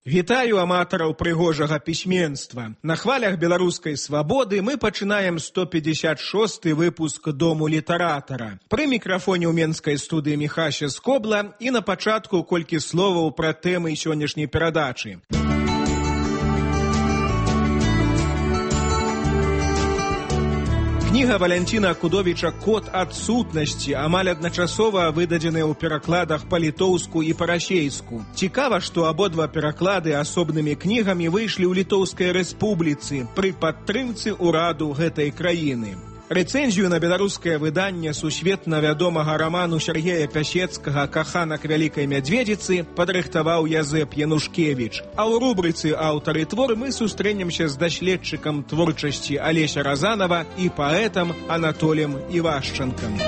Вітаю аматараў прыгожага пісьменства. На хвалях беларускай свабоды мы пачынаем 156-й выпуск Дому літаратара. Пры мікрафоне ў менскай студыі Міхася Скобла і на пачатку колькі словаў пра тэмы сённяшняй перадачы. Кніга Валянціна Акудовіча «Код адсутнасці» амаль адначасова выдадзеная ў перакладах па-літоўску і па-расейску. Цікава, што абодва пераклады асобнымі кнігамі выйшлі ў Літоўскай рэспубліцы пры падтрымцы ўраду гэтай краіны. Рэцэнзію на беларускае выданне сусветна вядомага раману Сергея Пясецкага «Каханак вялікай мядзведзіцы» падрыхтаваў Язэп Янушкевіч. А ў рубрыцы «Аўтары твор» мы сустрэнемся з даследчыкам творчасці Алеся Разанова і паэтам Анатолем Івашчанкам.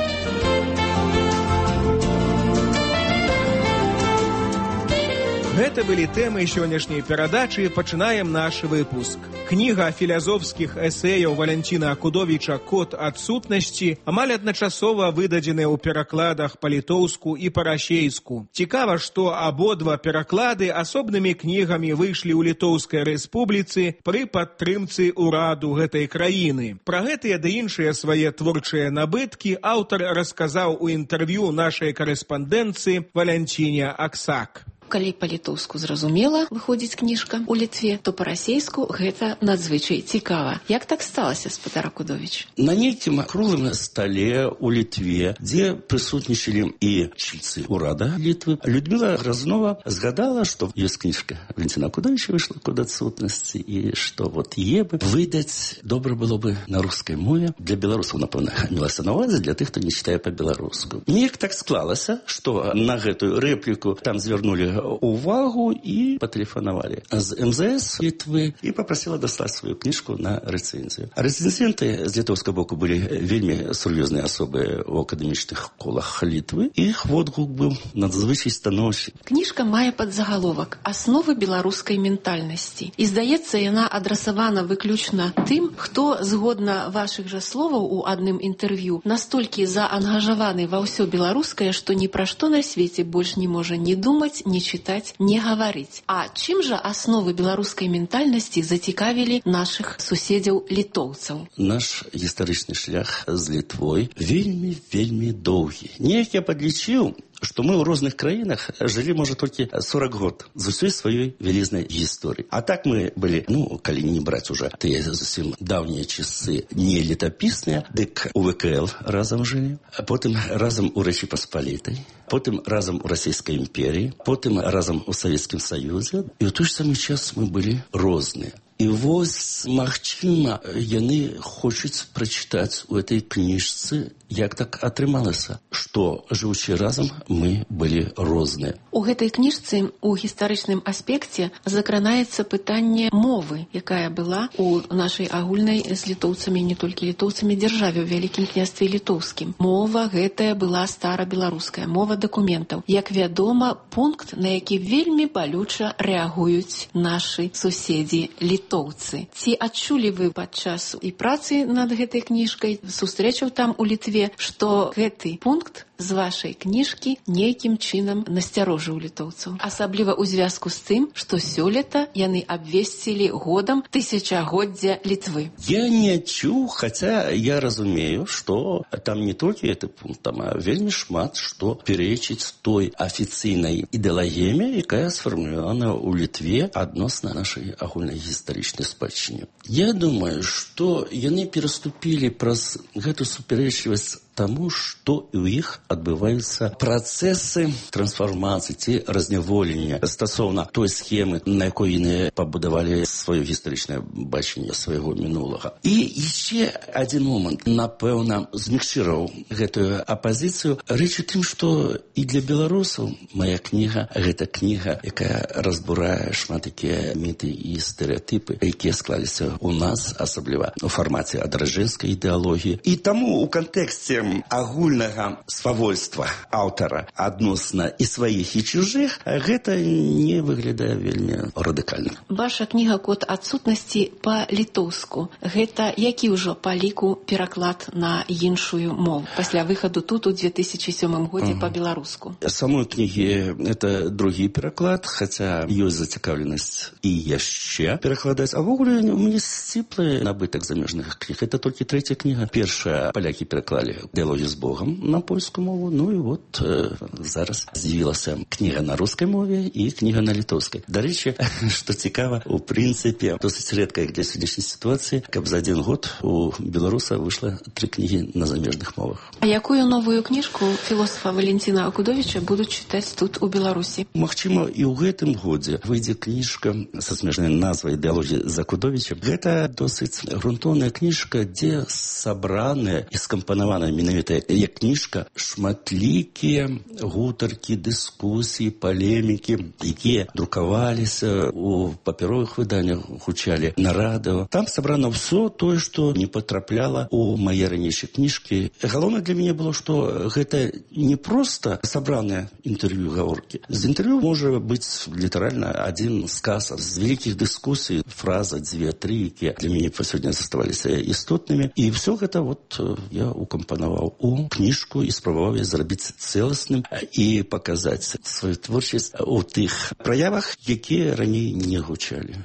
Гэта былі тэмы сённяшняй перадачы, пачынаем наш выпуск. Кніга філазофскіх эсэяў Валянціна Акудовіча «Код адсутнасці» амаль адначасова выдадзеная ў перакладах па-літоўску і па-расейску. Цікава, што абодва пераклады асобнымі кнігамі выйшлі ў Літоўскай рэспубліцы пры падтрымцы ўраду гэтай краіны. Пра гэтыя ды іншыя свае творчыя набыткі аўтар расказаў у інтэрв'ю нашай карэспандэнцыі Валянціне Аксак. Калі па-літоўску зразумела выходзіць кніжка ў Літве, то па-расейску гэта надзвычай цікава. Як так сталася, спадар Акудовіч? На нейкім круглым стале ў Літве, дзе прысутнічалі і чільцы ўрада Літвы, Людміла Грознова згадала, што ёсць кніжка Валянціна Акудовіча выйшла «Код адсутнасці» і што вот е бы выдаць добра было бы на рускай мове. Для беларусаў, напэўна, мелася на ўвазе, для тых, хто не чытае па-беларуску. Неяк так склалася, што на гэтую рэпліку там звярнулі увагу і патэлефанавалі з МЗС Літвы і папрасіла даслаць сваю кніжку на рэцэнзію. Рэцэнзенты з літоўскага боку былі вельмі сур'ёзныя асобы ў акадэмічных колах Літвы. Іх водгук быў надзвычай станоўчы. Кніжка мае падзагаловак «Асновы беларускай ментальнасці». І, здаецца, яна адрасавана выключна тым, хто, згодна вашых жа словаў у адным інтэрв'ю, настолькі заангажаваны ва ўсё беларускае, што ні пра што на свеце больш не можа ні думаць, ні чытаць, не гаварыць. А чым жа асновы беларускай ментальнасці зацікавілі нашых суседзяў літоўцаў? Наш гістарычны шлях з Літвой вельмі доўгі. Неяк я падлічыў, што мы ў розных краінах жылі, можа, толькі 40 год з усёй сваёй вялізнай гісторыі. А так мы былі, калі не браць уже тыя зусім даўнія часы не летапісныя, дык у ВКЛ разам жылі, потым разам у Рэчы Паспалітай, потым разам у Расійскай імперіі, потым разам у Савецкім Саюзе. І ў той ж самы час мы былі розныя. І вось, магчыма, яны хочуць прачытаць у этой кніжцы, як так атрымалася, што, жыўучы разам, мы былі розныя. У гэтай кніжцы у гістарычным аспекце закранаецца пытанне мовы, якая была у нашай агульнай з літоўцамі, не толькі літоўцамі, дзяржаве ў Вялікім княстве літоўскім. Мова гэтая была старабеларуская, мова дакументаў. Як вядома, пункт, на які вельмі балюча рэагуюць нашы суседзі літоўцы. Ці адчулі вы падчас і працы над гэтай кніжкай, сустрэчаў там у Літве, што гэты пункт з вашай кніжкі нейкім чынам насцярожыў літоўцаў. Асабліва ў звязку з тым, што сёлета яны абвесцілі годам тысячагоддзя Літвы. Я не чуў, хаця я разумею, што там не толькі гэты пункт, там вельмі шмат што пярэчыць той афіцыйнай ідэалагіі, якая сфармулявана ў Літве адносна нашай агульнай гістарычнай спадчыне. Я думаю, што яны пераступілі праз гэту супярэчлівасць таму, што і ў іх адбываюцца працэсы трансфармацыі ці разняволення стасоўна той схемы, на якой яны пабудавалі сваё гістарычнае бачанне свайго мінулага. І яшчэ адзін момант, напэўна, змякчыраў гэтую апазіцыю. Рэч у тым, што і для беларусаў мая кніга, гэта кніга, якая разбурае шмат такія міты і стэрэатыпы, якія склаліся ў нас, асабліва у фармаце адраджэнскай ідэалогіі. І таму у кантэксце пунктам агульнага свавольства аўтара адносна і сваіх, і чужых, гэта не выглядае вельмі радыкальна. Ваша кніга «Код адсутнасці» па-літоўску. Гэта які ўжо па ліку пераклад на іншую мову пасля выхаду тут у 2007 годзе па-беларуску? Самой кнігі это другі пераклад, хаця ёсць зацікаўленасць і яшчэ перакладаць. А ввогуле у мяне сціплы набытак замежных кніг. Это толькі трэця кніга. Першая палякі пераклалі «Дыалогі з Богом» на польскую мову. Ну і вот зараз з'явілася кніга на рускай мове і кніга на літоўскай. Дарэчы, што цікава, у прынцыпе, досыць рэдка для сённяшняй сітуацыі, каб за один год у беларуса выйшла 3 кнігі на замежных мовах. А якую новую кніжку філосафа Валентина Акудовича будуць чытаць тут у Беларусі? Магчыма, і ў гэтым годзе выйдзе кніжка са смежнай назвай «Дыалогі з Акудовічам». Гэта досыць грунтоўная кніжка, дзе сабраныя і скампанаваная менавіта як кніжка шматлікія гутаркі, дыскусіі, палемікі, якія друкаваліся у папяровых выданнях, гучалі на радыё. Там сабрана ўсё тое, што не патрапляла у мае ранейшыя кніжкі. Галоўнае для мяне было, што гэта не проста сабраныя інтэрв'ю, гаворкі. З інтэрв'ю можа быць літаральна адзін сказ з вялікіх дыскусій, фраза, 2-3, якія для мяне па сёння заставаліся істотнымі. І ўсё гэта вот я укампанаваў у кніжку і спрабаваў я зрабіць цэласным і паказаць сваю творчасць у тых праявах, якія раней не гучалі.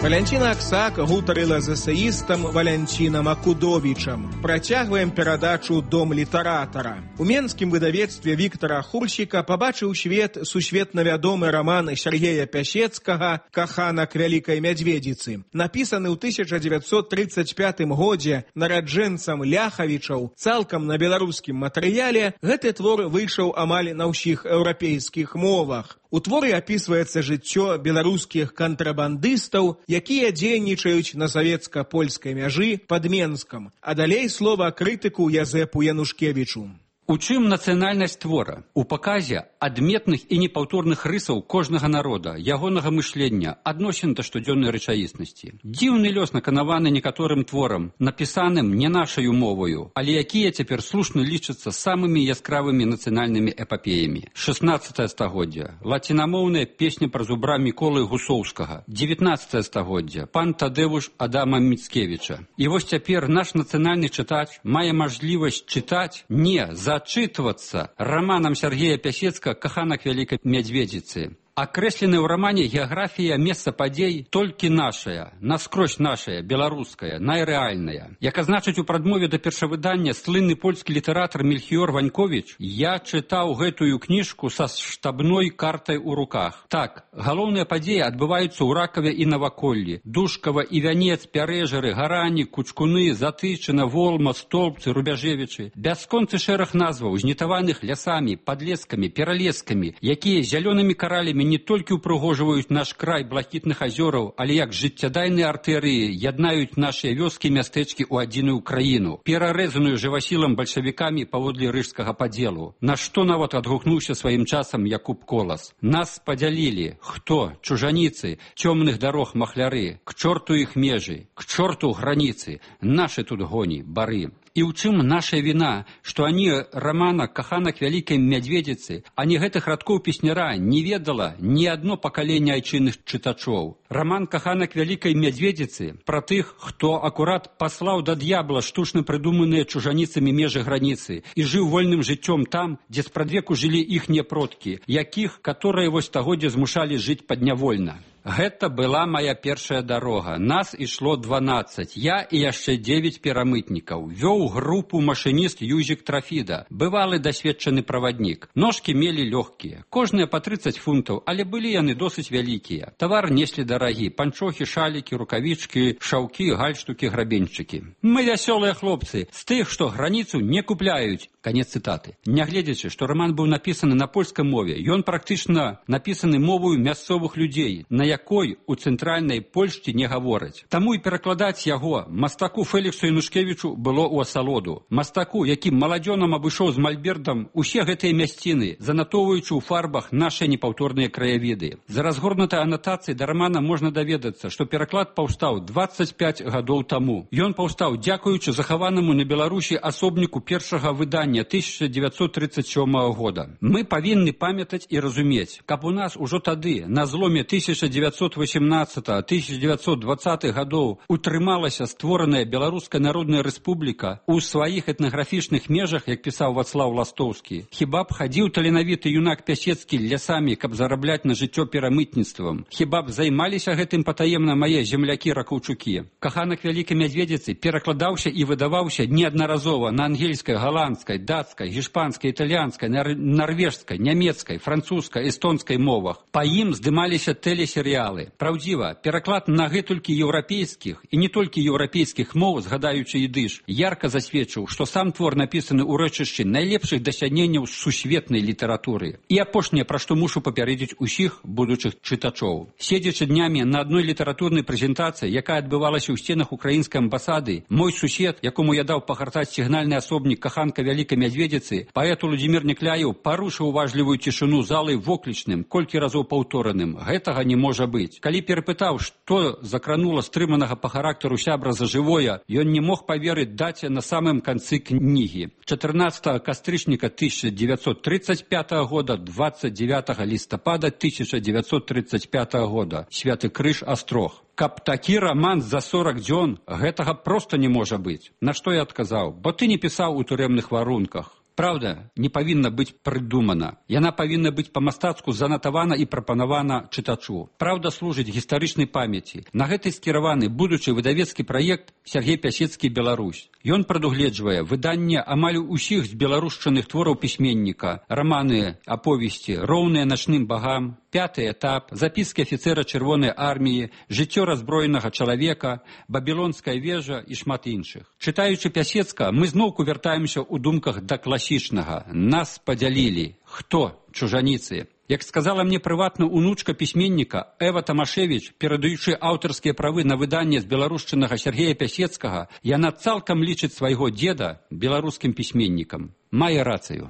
Валянціна Аксак гутарыла з эсеістам Валянцінам Акудовічам. Працягваем перадачу «Дом літаратара». У менскім выдавецтве Віктара Хурсіка пабачыў свет сусветна вядомы раман Сергея Пясецкага «Каханак вялікай мядзведзіцы». Напісаны ў 1935 годзе нараджэнцам Ляхавічаў цалкам на беларускім матэрыяле, гэты твор выйшаў амаль на ўсіх еўрапейскіх мовах. У творы апісваецца жыццё беларускіх кантрабандыстаў, якія дзейнічаюць на савецка-польскай мяжы пад Менскам. А далей слова крытыку Язэпу Янушкевічу. У чым нацыянальнасць твора? У паказе адметных і непаўторных рысаў кожнага народа, ягонага мышлення, адносін да штодзённай рэчаіснасці. Дзіўны лёс наканаваны некаторым творам, напісаным не нашаю моваю, але якія цяпер слушна лічацца самымі яскравымі нацыянальнымі эпапеямі. 16 стагоддзя. Лацінамоўная песня пра зубра Міколы Гусоўскага. 19 стагоддзя. Пан Тадэвуш Адама Міцкевіча. І вось цяпер наш нацыянальны чытач мае мажлівасць чытаць не зачытвацца романом Сергея Пясецкага «Каханак вялікай мядзведзіцы». Акрэсленая ў рамане геаграфія месца падзей толькі нашая, наскрозь нашая, беларуская, найрэальная. Як азначыць у прадмове да першавыдання слынны польскі літаратар Мельхіёр Ваньковіч, я чытаў гэтую кніжку са штабной картай у руках. Так, галоўныя падзеі адбываюцца ў Ракаве і Наваколлі, Душкава і Вянец, Пярэжары, Гарані, Кучкуны, Затычына, Волма, Столбцы, Рубяжевічы. Бясконцы шэраг назваў, знітаваных лясамі, падлескамі, пералескамі, якія зялёнымі каралямі не толькі ўпрыгожваюць наш край блакітных азёраў, але як жыццядайныя артэрыі яднаюць нашыя вёскі і мястэчкі ў адзіную краіну, перарэзаную жывасілам бальшавікамі паводле рыжскага падзелу. На што нават адгукнуўся сваім часам Якуб Колас. Нас падзялілі. Хто? Чужаніцы, цёмных дарог махляры, к чорту іх межы, к чорту граніцы, нашы тут гоні, бары. І ў чым наша віна, што ані рамана «Каханак вялікай мядзведзіцы», ані гэтых радкоў песняра не ведала ні адно пакаленне айчынных чытачоў. Раман «Каханак вялікай мядзведзіцы» пра тых, хто акурат паслаў да д'ябла штучна прыдуманыя чужаніцамі межы граніцы і жыў вольным жыццём там, дзе спрадвеку жылі іхнія продкі, якіх, каторыя вось стагоддзя змушалі жыць паднявольна. Гэта была моя першая дарога. Нас ішло 12. Я і яшчэ 9 перамытнікаў. Вёў групу машыніст Юзік Трафіда, бывалы дасведчаны праваднік. Ножкі мелі лёгкія, кожныя па 30 фунтаў, але былі яны досыць вялікія. Тавар неслі дарагі, панчохі, шалікі, рукавічкі, шаўкі, гальштукі, грабеньчыкі. Мы вясёлыя хлопцы, з тых, што граніцу не купляюць. Канец цытаты. Нягледзячы, што роман быў напісаны на польскай мове, ён практычна напісаны мовою мясцовых людзей, на якой у цэнтральнай Польшчы не гавораць. Таму і перакладаць яго мастаку Феліксу Янушкевічу было ў асалоду. Мастаку, які маладзёнам абышоў з мальбертам усе гэтыя мясціны, занатоўваючы ў фарбах нашы непаўторныя краявіды. За разгорнутай анатацыяй да романа можна даведацца, што пераклад паўстаў 25 гадоў таму. Ён паўстаў дзякуючы захаванаму на Беларусі асобніку першага выдання 1937 года. Мы павінны памятаць і разумець, каб у нас ужо тады, на зломе 1918-1920 гадоў, утрымалася створаная Беларуская Народная Рэспубліка у сваіх этнаграфічных межах, як пісаў Вацлаў Ластоўскі. Хіба б хадзіў таленавіты юнак Пясецкі лясамі, каб зарабляць на жыццё перамытніцтвам? Хіба б займаліся гэтым патаемна мае землякі-ракаўчукі? Каханак Вялікай Мядзведзіцы перакладаўся і выдаваўся неаднаразова на ангельскай, галандскай, дацкай, гішпанскай, італьянскай, нарвежскай, нямецкай, французскай, эстонскай мовах. Па ім здымаліся тэлесерыялы. Праўдзіва, пераклад на гэтулькі еўрапейскіх і не толькі еўрапейскіх моў, згадаючы ідыш, ярка засведчыў, што сам твор напісаны ў рэчышчы найлепшых дасягненняў сусветнай літаратуры. І апошняе, пра што мушу папярэдзіць усіх будучых чытачоў. Седзячы днямі на адной літаратурнай прэзентацыі, якая адбывалася ў сценах украінскай амбасады, мой сусед, якому я даў пагартаць сігнальны асобнік каханка Вялікай Мядзведзіцы, паэт Уладзімір Некляеў парушыў уважлівую цішыню залы воклічным, колькі разоў паўтораным. Гэтага не можа быць. Калі перапытаў, што закранула стрыманага па характару сябра за жывое, ён не мог паверыць даце на самым канцы кнігі. 14 кастрычніка 1935 года, 29 лістапада 1935 года. Святы Крыж, Астрог. Каб такі роман за 40 дзён, гэтага проста не можа быць. На што я адказаў? Бо ты не пісаў у турэмных варунках. Праўда не павінна быць прыдумана. Яна павінна быць па-мастацку занатавана і прапанавана чытачу. Праўда служыць гістарычнай памяці. На гэты скіраваны будучы выдавецкі праект Сергей Пясецкі «Беларусь». Ён прадугледжвае выданне амаль усіх з беларушчыных твораў пісьменніка, раманы, аповесці, роўныя начным багам, «Пятый этап», запіскі афіцэра Чырвонай арміі, жыццё раззброенага чалавека, Бабілонская вежа і шмат іншых. Чытаючы Пясецка, мы зноўку вяртаемся ў думках да класічнага. Нас падзялілі. Хто? Чужаніцы. Як сказала мне прыватна унучка пісьменніка Эва Тамашевіч, перадаючы аўтарскія правы на выданне з беларушчынага Сергея Пясецкага, яна цалкам лічыць свайго дзеда беларускім пісьменнікам. Мае рацыю.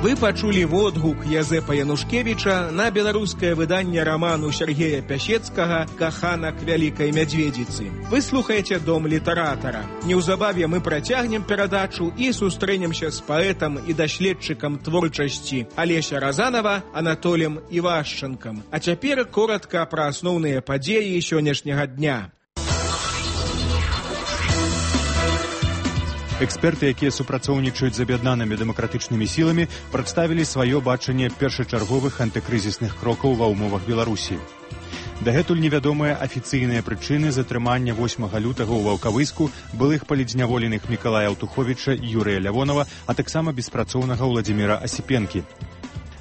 Вы пачулі водгук Язэпа Янушкевіча на беларускае выданне раману Сергея Пясецкага «Каханак Вялікай Мядзведзіцы». Вы слухаеце Дом літаратара. Неўзабаве мы працягнем перадачу і сустрэнемся з паэтам і даследчыкам творчасці Алеся Разанова Анатолем Івашчанкам. А цяпер коратка пра асноўныя падзеі сённяшняга дня. Эксперты, якія супрацоўнічаюць з аб'яднанымі дэмакратычнымі сіламі, прадставілі сваё бачанне першачарговых антыкрызісных крокаў ва ўмовах Беларусі. Дагэтуль невядомыя афіцыйныя прычыны затрымання 8 лютага ў Ваўкавыску былых палідзняволеных Мікалая Аўтуховіча і Юрыя Лявонова, а таксама беспрацоўнага Ўладзіміра Асіпенкі.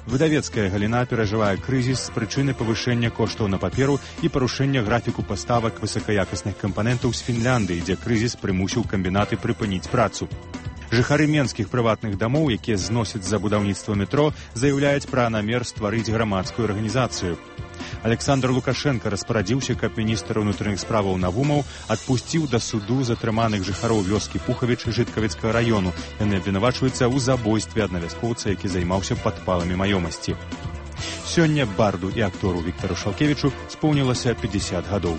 Выдавецкая галіна перажывае крызіс з прычыны павышэння коштаў на паперу і парушэння графіку паставак высакаякасных кампанентаў з Фінляндыі, дзе крызіс прымусіў камбінаты прыпыніць працу. Жыхары менскіх прыватных дамоў, якія зносяць за будаўніцтва метро, заяўляюць пра намер стварыць грамадскую арганізацыю. Александр Лукашенко распарадзіўся, каб міністр унутраных справаў Навумаў адпусціў да суду затрыманых жыхароў вёскі Пухавіч Жыткавіцкага раёну. Яны абвінавачваюцца ў забойстве аднавяскоўца, які займаўся падпаламі маёмасці. Сёння барду і актору Віктару Шалкевічу споўнілася 50 гадоў.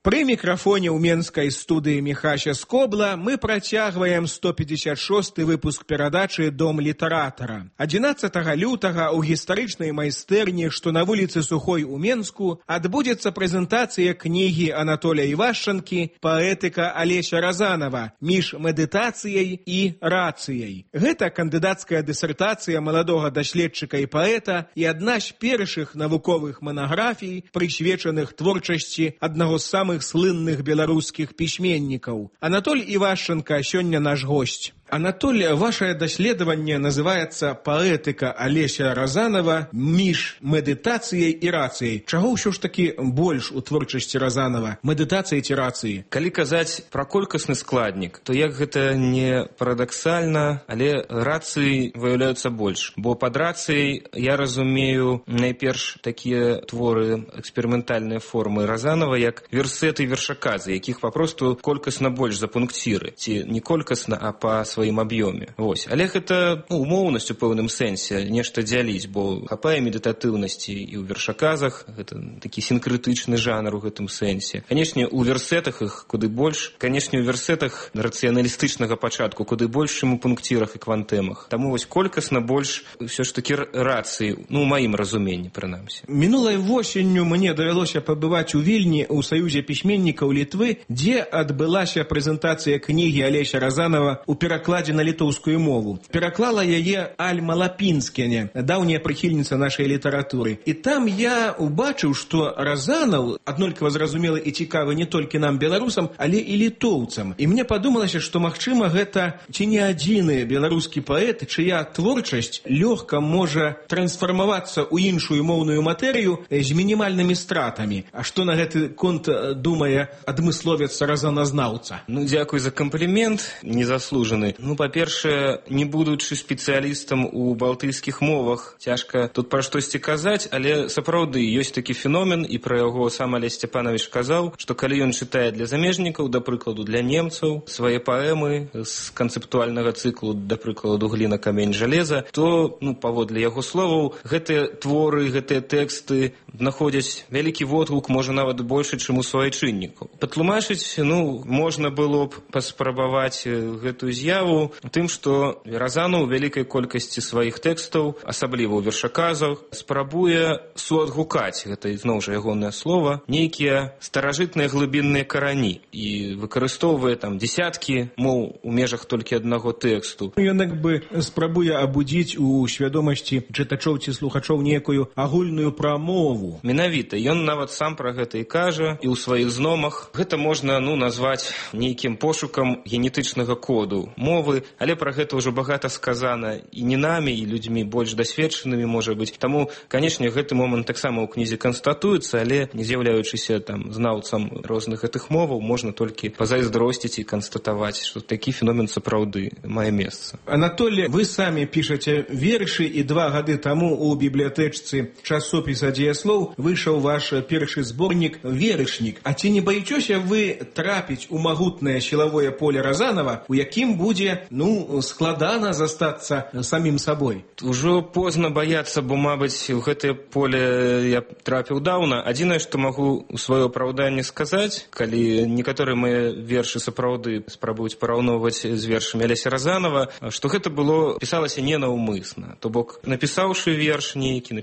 Пры мікрафоне ў менскай студыі Міхася Скобла мы працягваем 156 выпуск перадачы «Дом літаратара». 11 лютага ў гістарычнай майстэрні, што на вуліцы Сухой у Менску, адбудзецца прэзентацыя кнігі Анатолія Івашчанкі «Паэтыка Алеся Разанова. Між медытацыяй і рацыяй». Гэта кандыдацкая дысертацыя маладога даследчыка і паэта і адна з першых навуковых манаграфій, прысвечаных творчасці аднаго з самых слынных беларускіх пісьменнікаў. Анатоль Івашчанка сёння наш госць. Анатолий, ваше даследаванне называется «Поэтика Олеся Разанова між медитацией и рацией». Чаго ўсё ж таки больш у творчасці Разанова? Медитации ці рации? Калі казаць пра колькасны складнік, то як гэта не парадаксальна, але рацыі выяўляюцца больш. Бо пад рацыяй я разумею найперш такія творы, эксперыментальныя формы Разанова, як версеты і вершаказы, якіх папросту колькасна больш за пункціры. Ці не колькасна, а па сваім аб'ёме. Вось. Але гэта умоўнасць у пэўным сэнсе, нешта дзяліць, бо хапае медытатыўнасці і ў вершаказах, гэта такі сінкрытычны жанр у гэтым сэнсе. Канешне, у версетах іх куды больш, канешне, у версетах рацыяналістычнага пачатку куды больш, чым у пункцірах і квантэмах. Таму вось колькасна больш ўсё ж такі рацыі, у маім разуменні, прынамсі. Мінулай восенню мне давялося пабываць у Вільні ў Саюзе пісьменнікаў Літвы, дзе адбылася прэзентацыя кнігі Алеся Разанова у перакладзе на літоўскую мову. Пераклала яе Альма Лапінскене, даўняя прыхільніца нашай літаратуры. І там я убачыў, што Разанаў аднолькава зразумелы і цікавы не толькі нам, беларусам, але і літоўцам. І мне падумалася, што, магчыма, гэта ці не адзіны беларускі паэт, чыя творчасць лёгка можа трансфармавацца ў іншую моўную матэрыю з мінімальнымі стратамі. А што на гэты конт думае адмысловец разаназнаўца? Дзякуй за камплімент, незаслужаны. Па-першае, не будучы спецыялістам у балтыйскіх мовах, цяжка тут пра штосьці казаць, але сапраўды ёсць такі феномен, і пра яго сам Алесь Сцяпанович казаў, што калі ён чытае для замежнікаў, да прыкладу для немцаў, свае паэмы з канцэптуальнага цыклу, да прыкладу «Гліна, камень, жалеза», то, паводле яго словаў, гэтыя творы, гэтыя тэксты знаходзяць вялікі водгук, можа нават большы, чым у суайчыннікаў. Патлумачыць, можна было б паспрабаваць гэтую з'яву тым, што Разанаў у вялікай колькасці сваіх тэкстаў, асабліва ў вершаказах, спрабуе суадгукаць, гэта зноў жа ягонае слова, нейкія старажытныя глыбінныя карані і выкарыстоўвае там дзесяткі моў у межах толькі аднаго тэксту. Ён як бы спрабуе абудзіць у свядомасці чытачоў ці слухачоў некую агульную прамову. Менавіта, ён нават сам пра гэта і кажа, і ў сваіх зномах. Гэта можна, назваць нейкім пошукам генетычнага коду мовы, але пра гэта ўжо багата сказана і не намі, і людзьмі больш дасведчанымі, можа быць. Таму, канешне, гэты момант таксама ў кнізе канстатуецца, але не з'яўляючыся там знаўцам розных гэтых моваў, можна толькі пазайздросціць і канстатаваць, што такі феномен сапраўды мае месца. Анатолий, вы самі пішаце вершы, і 2 гады таму у бібліятэчцы часопіса «Дзеяслоў» выйшаў ваш першы зборнік «Верышнік». А ці не баіцеся вы трапіць у магутнае сілавое поле Разанова, у якім будзе, складана застацца самім сабой? Ужо позна баяцца, бо, мабыць, у гэтае поле я трапіў даўна. Адзінае, што магу у сваё апраўданне сказаць, калі некаторыя мае вершы сапраўды спрабуюць параўноўваць з вершамі Алеся Разанова, што гэта пісалася ненаўмысна. То бок, напісаўшы верш нейкі,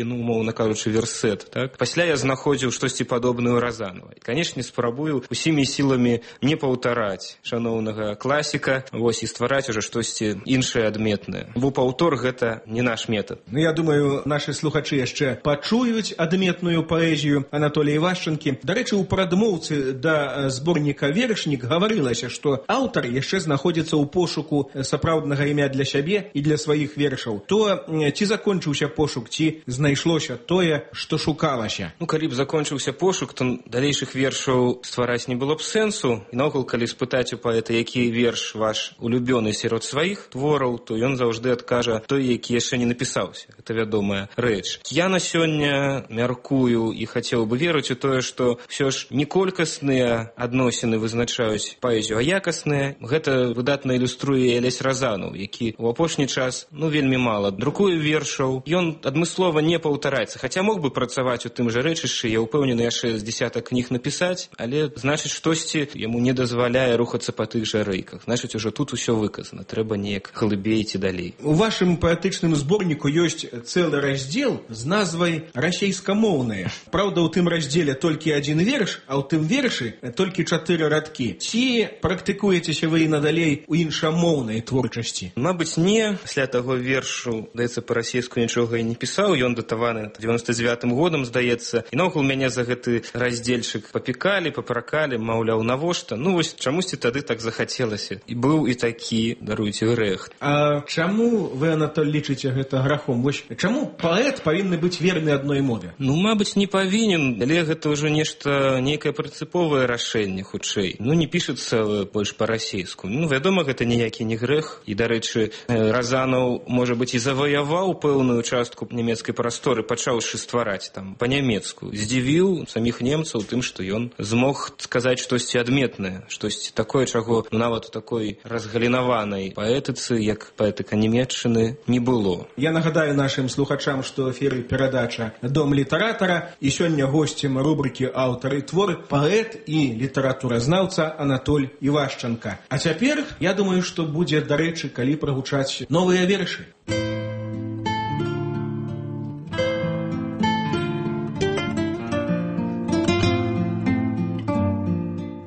умоўна кажучы, версет, так? Пасля я знаходзіў штосьці падобнае ў Разанова. І, канешне, спрабую усімі сіламі не паўтараць шаноўнага класіка, і ствараць ужо штосьці іншае адметнае. Бо паўтор гэта не наш метад. Я думаю, нашы слухачы яшчэ пачуюць адметную паэзію Анатолія Івашчанкі. Дарэчы, у прадмоўцы да зборніка «Верышнік» гаварылася, што аўтар яшчэ знаходзіцца ў пошуку сапраўднага імя для сябе і для сваіх вершаў. То ці закончыўся пошук, ці знайшлося тое, што шукалася? Калі б закончыўся пошук, то далейшых вершаў ствараць не было б сэнсу. І наогул, калі спытаць у паэта, які верш ваш улюбёны сярод сваіх твораў, то ён заўжды адкажа той, які яшчэ не напісаўся. Гэта вядомая рэч. Я на сёння мяркую і хацеў бы верыць у тое, што ўсё ж не колькасныя адносіны вызначаюць паэзію, а якасныя. Гэта выдатна ілюструе Алесь Разанаў, які ў апошні час вельмі мала друкуе вершаў. Ён адмыслова не паўтараецца, хаця мог бы працаваць у тым жа рэчышчы, я ўпэўнены, яшчэ з дзесятак кніг напісаць, але, значыць, штосьці яму не дазваляе рухацца па тых жа рэйках. Значыць, ужо тут усё выказана, трэба неяк глыбей ці далей. У вашым паэтычным зборніку ёсць цэлы раздзел з назвай «Расейскамоўныя». Праўда, у тым раздзеле толькі адзін верш, а ў тым вершы толькі 4 радкі. Ці практыкуецеся вы і надалей у іншамоўнай творчасці? Мабыць, не. Пасля таго вершу, здаецца, па-расейску нічога і не пісаў. Ён датаваны 99-м годам, здаецца. І наогул мяне за гэты раздзельчык папікалі, папракалі, маўляў, навошта? Вось чамусьці тады так захацелася. І і быў і такі, даруйце, грэх. А чаму вы, Анатоль, лічыце гэта грахом? Вось чаму паэт павінны быць верны адной мове? Ну, мабыць, не павінен, але гэта ўжо нешта, нейкае прынцыповае рашэнне, хутчэй. Ну, не пішацца больш па-расейску. Ну, вядома, гэта ніякі не грэх. І, дарэчы, Разанаў, можа быць, і заваяваў пэўную частку нямецкай прасторы, пачаўшы ствараць там па-нямецку. Здзівіў саміх немцаў тым, што ён змог сказаць штосьці адметнае, штосьці такое, чаго нават у такой разгалінаванай паэтыцы, як паэтыка нямецчыны, не было. Я нагадаю нашим слухачам, што ў эфіры перадача «Дом літаратара», і сёння госцем рубрыкі «Аўтары творы» паэт і літаратуразнаўца Анатоль Івашчанка. А цяпер, я думаю, што будзе, дарэчы, калі прагучаць новыя вершы.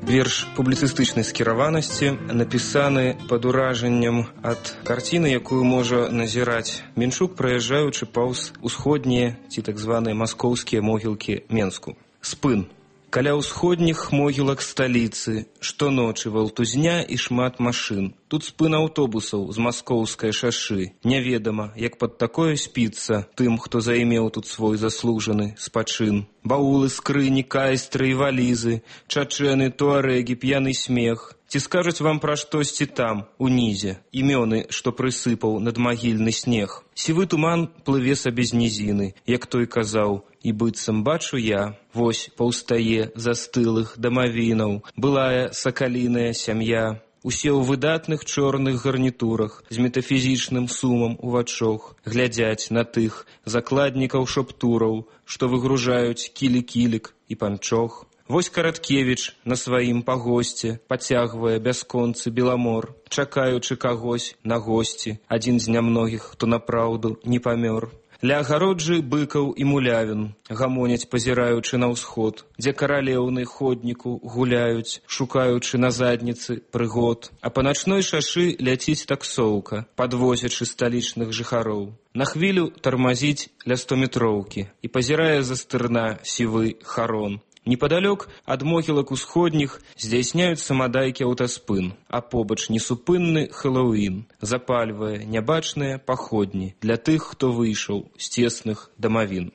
Верш публіцыстычнай скіраванасці напісаны пад уражаннем ад карціны, якую можа назіраць Менчук, праязджаючы паўз усходнія ці так званыя маскоўскія могілкі Менску. Спын. Каля ўсходніх могілак сталіцы штоночы валтузня і шмат машын. Тут спын аўтобусаў з маскоўскай шашы. Няведама, як пад такое спіцца тым, хто займеў тут свой заслужаны спачын. Баулы, скрыні, кайстры і валізы, чачэны, туарэгі, п'яны смех. Ці скажуць вам пра штосьці там, унізе, імёны, што прысыпаў надмагільны снег. Сівы туман плыве сабе з нізіны, як той казаў, і быццам бачу я, вось паўстае застылых дамавінаў, былая сакаліная сям'я. Усе ў выдатных чорных гарнітурах, з метафізічным сумам у вачох, глядзяць на тых закладнікаў шаптураў, што выгружаюць кілі-кілік і панчох. Вось Караткевіч на сваім пагосце пацягвае бясконцы беламор, чакаючы кагось на госці, адзін з нямногіх, хто напраўду не памёр. Ля агароджы быкаў і мулявін гамоняць, пазіраючы на ўсход, дзе каралеўны ходніку гуляюць, шукаючы на задніцы прыгод. А па начной шашы ляціць таксоўка, падвозячы сталічных жыхароў. На хвілю тармазіць ля 100-метроўкі і пазірае за стырна сівы харон. Непадалёк ад могілак усходніх здзяйсняюцца мадайкі аўтаспын, а побач несупынны Хэллоуін запальвае нябачныя паходні для тых, хто выйшаў з цесных дамавін.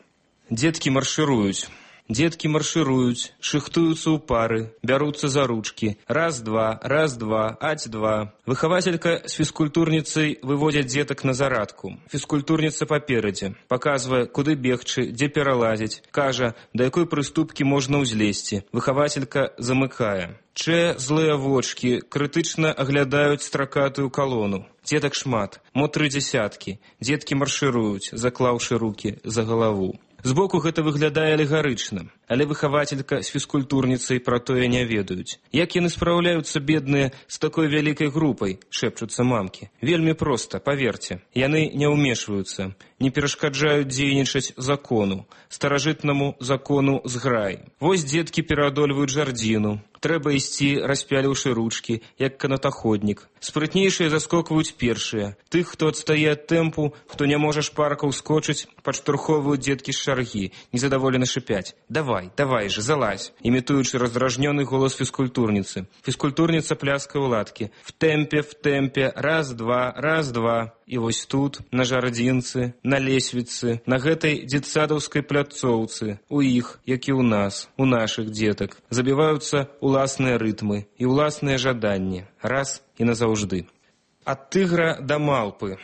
Дзеткі маршыруюць. Дзеткі маршыруюць, шыхтуюцца ў пары, бяруцца за ручкі. Раз-два, аць-два. Выхавацелька з фізкультурніцай выводзяць дзетак на зарадку. Фізкультурніца паперадзе, паказвае, куды бегчы, дзе пералазіць, кажа, да якой прыступкі можна ўзлезці. Выхавацелька замыкае. Злыя вочкі крытычна аглядаюць стракатую калону. Дзетак шмат, мо 3 дзесяткі. Дзеткі маршыруюць, заклаўшы рукі за галаву. Збоку гэта выглядае алегарычна, але выхавацелька з фізкультурніцай пра тое не ведаюць. Як яны спраўляюцца, бедныя, з такой вялікай групай, шэпчуцца мамкі. Вельмі проста, паверце. Яны не ўмешваюцца, не перашкаджаюць дзейнічаць закону, старажытнаму закону зграй. Вось дзеткі пераадольваюць жардзіну. Трэба ісці, распяліўшы ручкі, як канатаходнік. Спрытнейшыя заскокваюць першыя. Тых, хто адстае ад тэмпу, хто не можа шпарка ўскочыць, падштурхоўваюць дзеткі з шаргі, незадаволена шыпяць. Давай же, залазь, імітуючы раздражнёны голас фізкультурніцы. Фізкультурніца пляскае ў ладкі. В тэмпе, раз-два. І вось тут, на жардзінцы, на лесвіцы, на гэтай дзетсадаўскай пляцоўцы, у іх, як і ў нас, у нашых дзетак, забіваюцца уласныя рытмы і уласныя жаданні, раз і назаўжды. Ад тыгра да малпы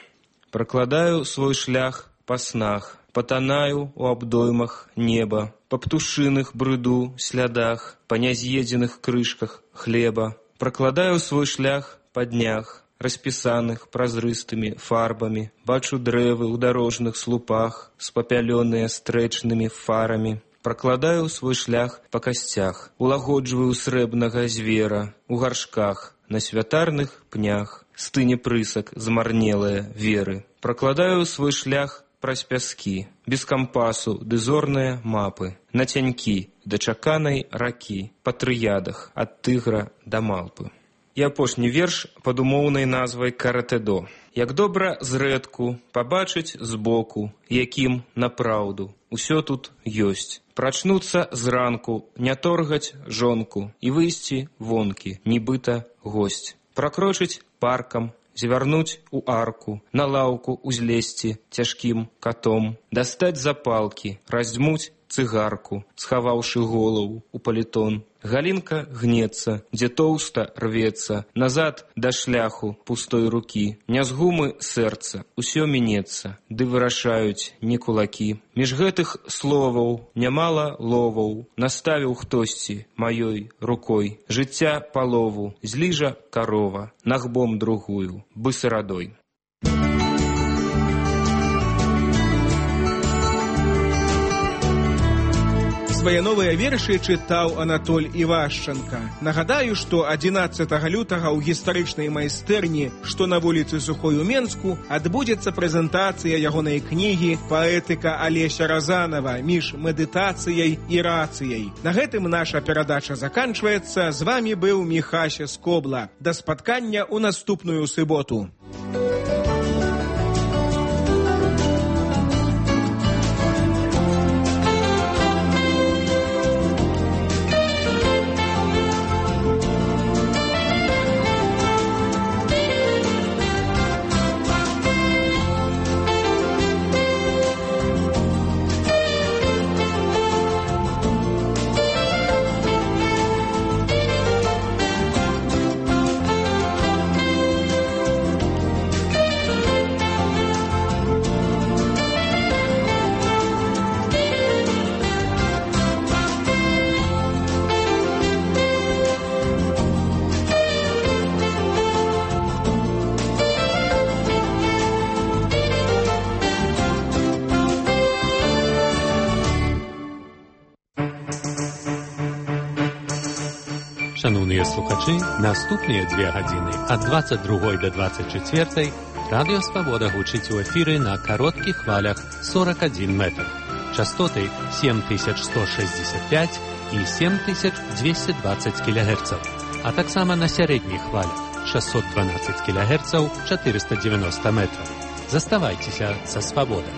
пракладаю свой шлях па снах, патанаю у абдоймах неба, па птушыных брыду слядах, па няз'едзеных крышках хлеба, пракладаю свой шлях па днях, распісаных празрыстымі фарбамі, бачу дрэвы ў дарожных слупах, спапялёныя стрэчнымі фарамі. Пракладаю свой шлях па касцях, улагоджваю срэбнага звера, у гаршках, на святарных пнях, стыне прысак змарнелыя веры. Пракладаю свой шлях праз пяскі, без кампасу ды зорныя мапы, на цянькі да чаканай ракі, па трыядах ад тыгра да малпы. І апошні верш пад умоўнай назвай «Каратэдо». Як добра зрэдку пабачыць збоку, якім напраўду усё тут ёсць. Прачнуцца зранку, не торгаць жонку і выйсці вонкі, нібыта госць. пракрочыць паркам, звярнуць у арку, на лаўку узлезці цяжкім катом, дастаць запалкі, раздзьмуць цыгарку, схаваўшы голову у палітон. Галінка гнецца, дзе тоўста рвецца, назад да шляху пустой рукі. Не з гумы сэрца, усё мінецца, ды вырашаюць не кулакі. Між гэтых словаў нямала ловаў, наставіў хтосьці маёй рукой. Жыцця палову, зліжа карова, нагбом другую, бысарадой. Свае новыя вершы чытаў Анатоль Івашчанка. Нагадаю, што 11 лютага ў гістарычнай майстэрні, што на вуліцы Сухой у Менску, адбудзецца прэзентацыя ягонай кнігі «Паэтыка Алеся Разанова. Між медытацыяй і рацыяй». На гэтым наша перадача заканчваецца. З вамі быў Міхася Скобла. Да спаткання ў наступную суботу. Шановныя слухачы, наступныя 2 гадзіны ад 22 до 24 Радыё Свабода гучыць у эфіры на кароткіх хвалях 41 метр. Частоты 7165 і 7220 кГц, а таксама на сярэдніх хвалях 612 кГц 490 метров. Заставайцеся са Свабодай.